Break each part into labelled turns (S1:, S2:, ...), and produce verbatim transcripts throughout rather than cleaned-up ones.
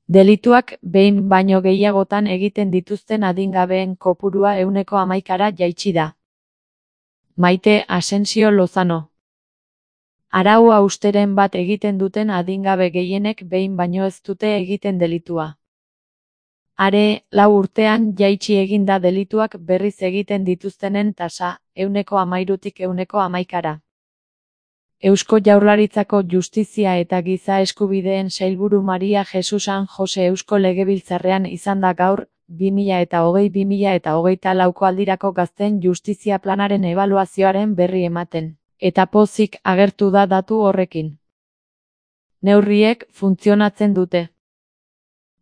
S1: Delituak behin baino gehiagotan egiten dituzten adingabeen kopurua ehuneko hamaikara jaitsi da. Maite Asensio Lozano. Arau hausteren bat egiten duten adingabe gehienek behin baino ez dute egiten delitua. Are, lau urtean jaitsi egin da delituak berriz egiten dituztenen tasa, ehuneko hamairutik ehuneko hamaikara. Eusko Jaurlaritzako Justizia eta Giza Eskubideen Sailburu Maria Jesus San Jose Eusko Legebiltzarrean izan da gaur, bi mila hogei bi mila hogeita lauko aldirako gazteen justizia planaren ebaluazioaren berri ematen, eta pozik agertu da datu horrekin. Neurriek funtzionatzen dute.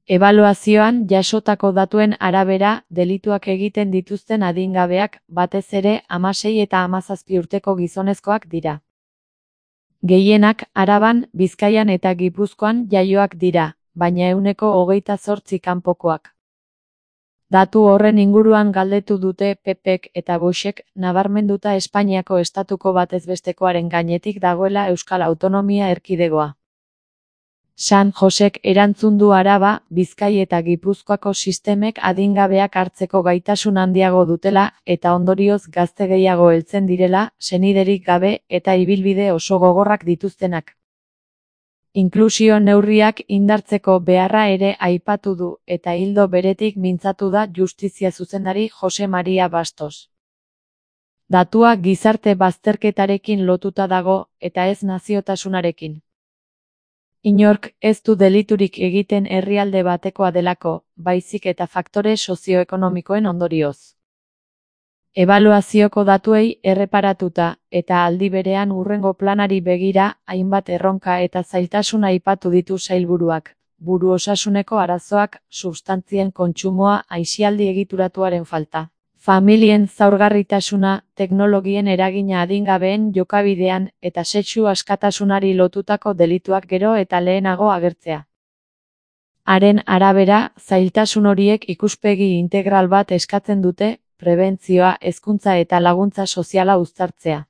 S1: Ebaluazioan jasotako datuen arabera, delituak egiten dituzten adingabeak, batez ere hamasei eta hamazazpi urteko gizonezkoak dira. Gehienak Araban, Bizkaian eta Gipuzkoan jaioak dira, baina ehuneko hogeita zortzi kanpokoak. Datu horren inguruan galdetu dute P Pek eta Voxek, nabarmenduta Espainiako estatuko batezbestekoaren gainetik dagoela Euskal Autonomia Erkidegoa. San Josek erantzun du Araba, Bizkai eta Gipuzkoako sistemek adingabeak hartzeko gaitasun handiago dutela eta ondorioz gazte gehiago heltzen direla, seniderik gabe eta ibilbide oso gogorrak dituztenak. Inklusio neurriak indartzeko beharra ere aipatu du eta ildo beretik mintzatu da justizia zuzendari Jose Maria Bastos. Datua gizarte bazterketarekin lotuta dago eta ez naziotasunarekin. Inork ez du deliturik egiten herrialde batekoa delako, baizik eta faktore sozioekonomikoen ondorioz. Ebaluazioko datuei erreparatuta eta aldi berean hurrengo planari begira hainbat erronka eta zailtasun aipatu ditu sailburuak, buru osasuneko arazoak, substantzien kontsumoa, aisialdi egituratuaren falta. Familien zaurgarritasuna, teknologien eragina adingabeen jokabidean eta sexu askatasunari lotutako delituak gero eta lehenago agertzea. Haren arabera, zailtasun horiek ikuspegi integral bat eskatzen dute, prebentzioa, hezkuntza eta laguntza soziala uztartzea.